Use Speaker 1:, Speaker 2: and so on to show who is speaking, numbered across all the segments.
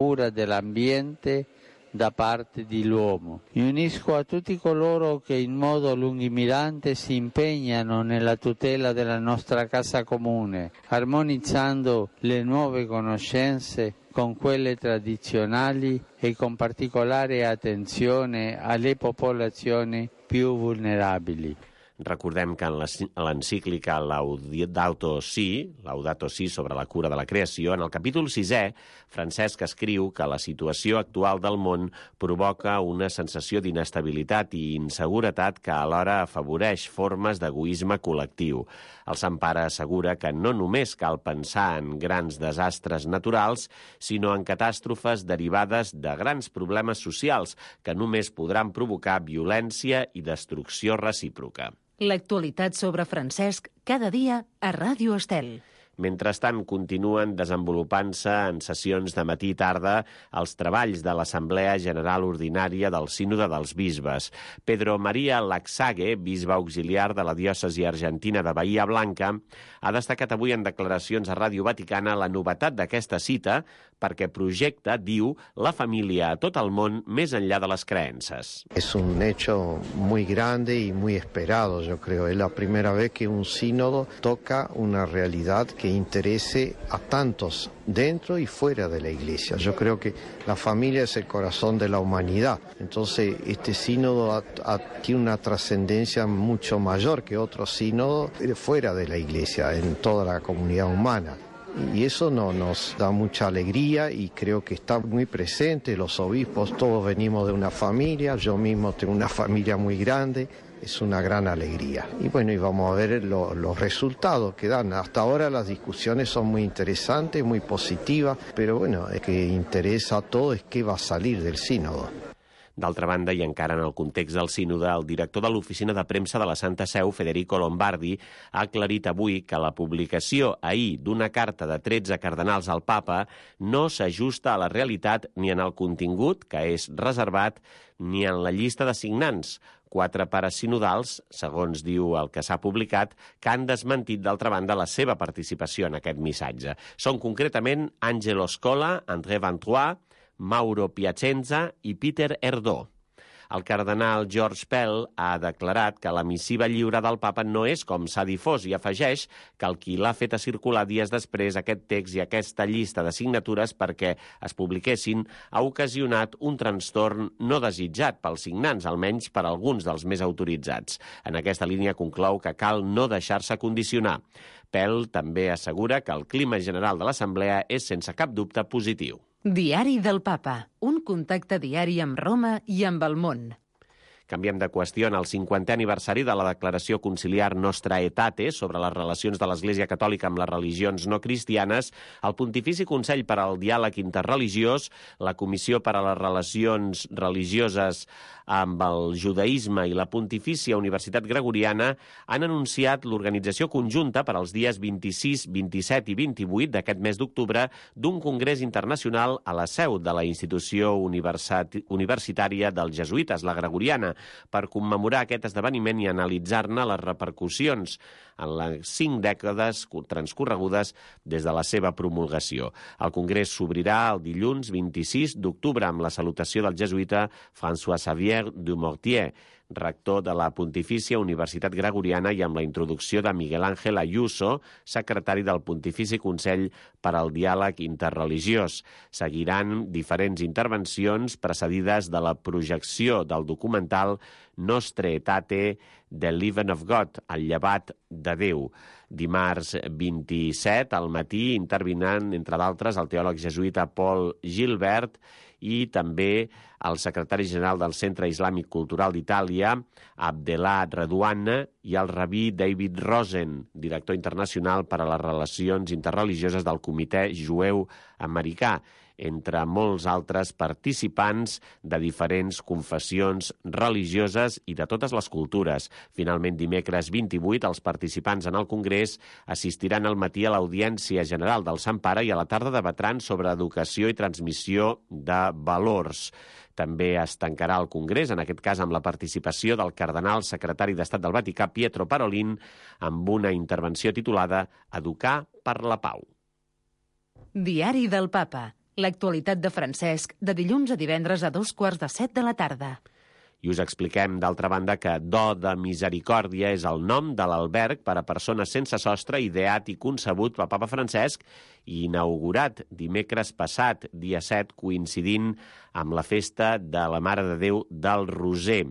Speaker 1: cura dell'ambiente da parte dell'uomo. Mi unisco a tutti coloro che in modo lungimirante si impegnano nella tutela della nostra casa comune, armonizzando le nuove conoscenze con quelle tradizionali e con particolare attenzione alle popolazioni più vulnerabili.
Speaker 2: Recordem que en l'encíclica Laudato Si sobre la cura de la creació, en el capítol 6è, Francesc escriu que la situació actual del món provoca una sensació d'inestabilitat i inseguretat que alhora afavoreix formes d'egoisme col·lectiu. El Sant Pare assegura que no només cal pensar en grans desastres naturals, sinó en catàstrofes derivades de grans problemes socials que només podran provocar violència i destrucció recíproca.
Speaker 3: L'actualitat sobre Francesc cada dia a Ràdio Estel.
Speaker 2: Mentrestant, continuen desenvolupant-se en sessions de matí i tarda els treballs de l'Assemblea General Ordinària del Sínode dels Bisbes. Pedro María Laxague, bisbe auxiliar de la diòcesi argentina de Bahía Blanca, ha destacat avui en declaracions a Ràdio Vaticana la novetat d'aquesta cita perquè projecta, diu, la família a tot el món més enllà de les creences.
Speaker 4: Es un hecho muy grande y muy esperado, yo creo. Es la primera vez que un sínodo toca una realidad que interese a tantos dentro y fuera de la Iglesia. Yo creo que la familia es el corazón de la humanidad. Entonces, este sínodo tiene una trascendencia mucho mayor que otros sínodos fuera de la Iglesia, en toda la comunidad humana. Y eso nos da mucha alegría y creo que está muy presente. Los obispos todos venimos de una familia, yo mismo tengo una familia muy grande. Es una gran alegría. Y bueno, y vamos a ver los resultados que dan. Hasta ahora las discusiones son muy interesantes, muy positivas, pero bueno, el que interesa a todo es qué va a salir del sínodo.
Speaker 2: D'altra banda, i encara en el context del sínode, el director de l'oficina de premsa de la Santa Seu, Federico Lombardi, ha aclarit avui que la publicació ahir d'una carta de 13 cardenals al papa no s'ajusta a la realitat ni en el contingut, que és reservat, ni en la llista de signants. 4 pares sinodals, segons diu el que s'ha publicat, que han desmentit d'altra banda la seva participació en aquest missatge. Són concretament Angelo Scola, André Van Troyes, Mauro Piacenza i Peter Erdó. El cardenal George Pell ha declarat que la missiva lliure del papa no és com s'ha difós i afegeix que el qui l'ha fet a circular dies després aquest text i aquesta llista de signatures perquè es publiquessin ha ocasionat un trastorn no desitjat pels signants, almenys per alguns dels més autoritzats. En aquesta línia conclou que cal no deixar-se condicionar. Pell també assegura que el clima general de l'Assemblea és sense cap dubte positiu.
Speaker 3: Diari del Papa, un contacte diari amb Roma i amb el món.
Speaker 2: Canviem de qüestió. En el 50è aniversari de la declaració conciliar Nostra Aetate sobre les relacions de l'Església Catòlica amb les religions no cristianes, el Pontifici Consell per al Diàleg Interreligiós, la Comissió per a les Relacions Religioses amb el Judaïsme i la Pontifícia Universitat Gregoriana han anunciat l'organització conjunta per als dies 26, 27 i 28 d'aquest mes d'octubre d'un congrés internacional a la seu de la institució universitària dels jesuïtes, la Gregoriana, per commemorar aquest esdeveniment i analitzar-ne les repercussions en les 5 dècades transcorregudes des de la seva promulgació. El congrés s'obrirà el dilluns 26 d'octubre amb la salutació del jesuïta François Xavier Dumortier, rector de la Pontifícia Universitat Gregoriana, i amb la introducció de Miguel Ángel Ayuso, secretari del Pontifici Consell per al Diàleg Interreligiós. Seguiran diferents intervencions precedides de la projecció del documental Nostra Aetate, The Living of God, el llevat de Déu. Dimarts 27 al matí intervindran, entre d'altres, el teòleg jesuïta Paul Gilbert i també el secretari general del Centre Islàmic Cultural d'Itàlia, Abdellah Redouane, i el rabí David Rosen, director internacional per a les relacions interreligioses del Comitè Jueu Americà, entre molts altres participants de diferents confessions religioses i de totes les cultures. Finalment, dimecres 28, els participants en el Congrés assistiran al matí a l'Audiència General del Sant Pare i a la tarda debatran sobre educació i transmissió de valors. També es tancarà el Congrés, en aquest cas amb la participació del cardenal secretari d'Estat del Vaticà, Pietro Parolin, amb una intervenció titulada Educar per la Pau.
Speaker 3: Diari del Papa, L'actualitat de Francesc, de dilluns a divendres a 2:45 de la tarda.
Speaker 2: I us expliquem, d'altra banda, que Do de Misericòrdia és el nom de l'alberg per a persones sense sostre ideat i concebut pel papa Francesc i inaugurat dimecres passat, dia 7, coincidint amb la festa de la Mare de Déu del Roser.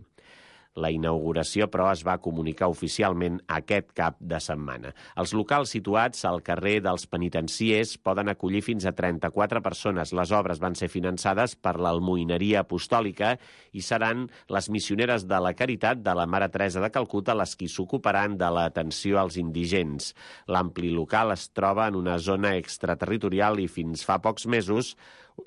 Speaker 2: La inauguració, però, es va comunicar oficialment aquest cap de setmana. Els locals situats al carrer dels Penitenciers poden acollir fins a 34 persones. Les obres van ser finançades per l'Almoineria Apostòlica i seran les missioneres de la Caritat de la Mare Teresa de Calcuta les qui s'ocuparan de l'atenció als indigents. L'ampli local es troba en una zona extraterritorial i fins fa pocs mesos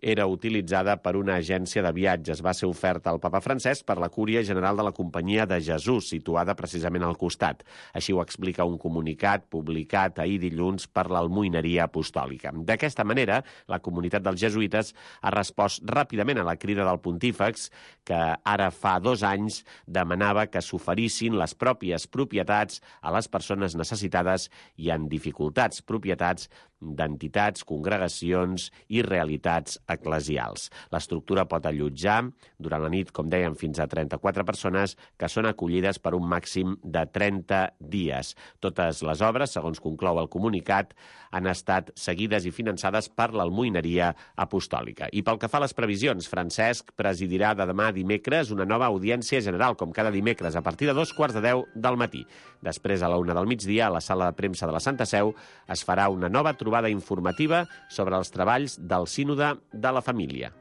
Speaker 2: era utilitzada per una agència de viatges. Va ser oferta al papa Francesc per la Cúria General de la Companyia de Jesús, situada precisament al costat. Així ho explica un comunicat publicat ahir dilluns per l'Almoineria Apostòlica. D'aquesta manera, la comunitat dels jesuïtes ha respost ràpidament a la crida del pontífex, que ara fa 2 anys demanava que s'oferissin les pròpies propietats a les persones necessitades i en dificultats, propietats d'entitats, congregacions i realitats eclesials. L'estructura pot allotjar durant la nit, com dèiem, fins a 34 persones que són acollides per un màxim de 30 dies. Totes les obres, segons conclou el comunicat, han estat seguides i finançades per l'Almoineria Apostòlica. I pel que fa a les previsions, Francesc presidirà de demà a dimecres una nova audiència general, com cada dimecres, a partir de 2:45 del matí. Després, a la 1 del migdia, a la sala de premsa de la Santa Seu, es farà una nova trobada informativa sobre els treballs del Sínode de la Família.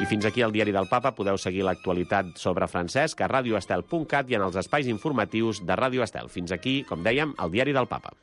Speaker 2: I fins aquí el Diari del Papa. Podeu seguir l'actualitat sobre Francesc a radioestel.cat i en els espais informatius de Ràdio Estel. Fins aquí, com dèiem, el Diari del Papa.